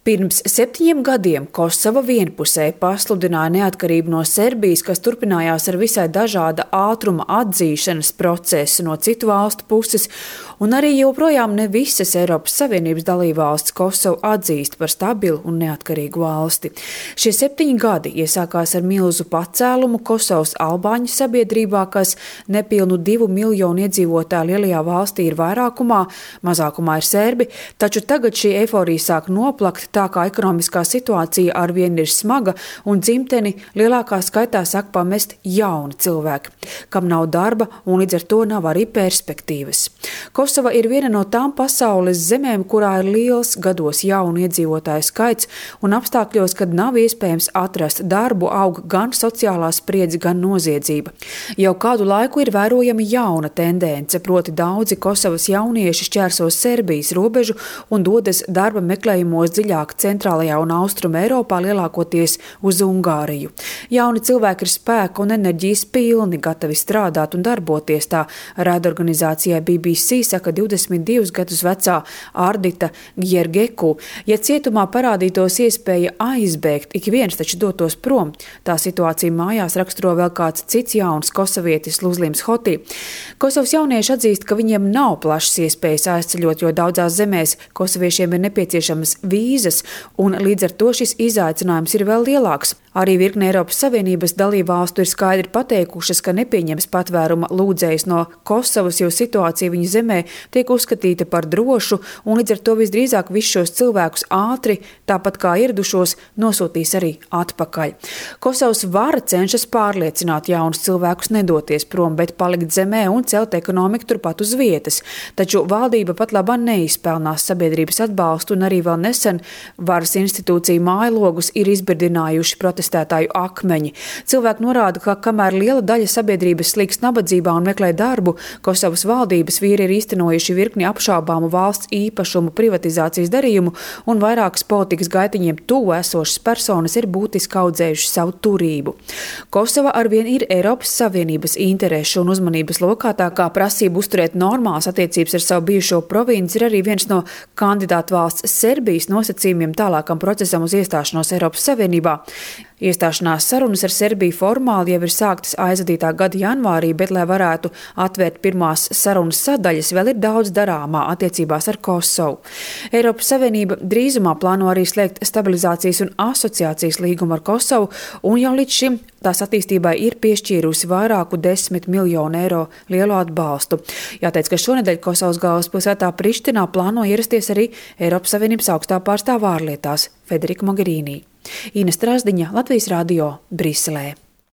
Pirms 7 gadiem Kosova vienpusēji pasludināja neatkarību no Serbijas, kas turpinājās ar visai dažāda ātruma atzīšanas procesu no citu valstu puses, un arī joprojām ne visas Eiropas Savienības dalībvalstis Kosovu atzīst par stabilu un neatkarīgu valsti. Šie 7 gadi iesākās ar milzu pacēlumu Kosovas albāņu sabiedrībā, kas nepilnu 2 miljonu iedzīvotāju lielajā valstī ir vairākumā, mazākumā ir serbi, taču tagad šī eiforija sāk noplakt, tā kā ekonomiskā situācija arvien ir smaga un dzimteni lielākā skaitā sāk pamest jauni cilvēki, kam nav darba un līdz ar to nav arī perspektīvas. Kosova ir viena no tām pasaules zemēm, kurā ir liels gados jaunu iedzīvotāju skaits un apstākļos, kad nav iespējams atrast darbu, aug gan sociālā spriedze, gan noziedzība. Jau kādu laiku ir vērojama jauna tendence, proti daudzi Kosovas jaunieši šķērso Serbijas robežu un dodas darba meklējumos dziļāk centrālajā un austrumu Eiropā, lielākoties uz Ungāriju. Jauni cilvēki ir spēka un enerģijas pilni, gatavi strādāt un darboties, tā raidorganizācijai BBC saka 22 gadus vecā Ardita Gjergeku. Ja cietumā parādītos iespēja aizbēgt, ik viens taču dotos prom. Tā situācija mājās raksturo vēl kāds cits jauns kosovietis Luzlims Hoti. Kosovas jaunieši atzīst, ka viņiem nav plašas iespējas aizceļot, jo daudzās zemēs kosoviešiem ir nepieciešamas vīzas, un līdz ar to šis izaicinājums ir vēl lielāks. Arī virkne Eiropas Savienības dalībvalstu ir skaidri pateikušas, ka nepieņems patvēruma lūdzējus no Kosovas, jo situācija viņa zemē tiek uzskatīta par drošu, un līdz ar to visdrīzāk visus šos cilvēkus ātri, tāpat kā ieradušos, nosūtīs arī atpakaļ. Kosovas vara cenšas pārliecināt jaunus cilvēkus nedoties prom, bet palikt zemē un celt ekonomiku turpat uz vietas. Taču valdība pat labāk neizpelnās sabiedrības atbalstu, un arī vēl nesen varas institūciju mājlogus ir izbirdinājuši protestētāju akmeņi. Cilvēki norāda, ka kamēr liela daļa sabiedrības slīkst nabadzībā un meklē darbu, Kosovas valdības vīri ir īstenojuši virkni apšaubāmu valsts īpašumu privatizācijas darījumu, un vairākas politikas gaitiņiem tuvu esošas personas ir būtiski audzējuši savu turību. Kosova arvien ir Eiropas Savienības interešu un uzmanības lokā, tā kā prasība uzturēt normālas attiecības ar savu bijušo provinci ir arī viens no kandidātu valsts Serbijas nosacījumiem tālākam procesam uz iestāšanos Eiropas Savienībā. Iestāšanās sarunas ar Serbiju formāli jau ir sāktas aizvadītā gada janvārī, bet, lai varētu atvērt pirmās sarunas sadaļas, vēl ir daudz darāmā attiecībās ar Kosovu. Eiropas Savienība drīzumā plāno arī slēgt stabilizācijas un asociācijas līgumu ar Kosovu, un jau līdz šim tās attīstībai ir piešķīrusi vairāku 10 miljonu eiro lielu atbalstu. Jāteic, ka šonedēļ Kosovas galvaspilsētā Prištinā plāno ierasties arī Eiropas Savienības augstā pārstāvja ārlietās Federika Mogherini. Ina Strasdiņa, Latvijas radio, Briselē.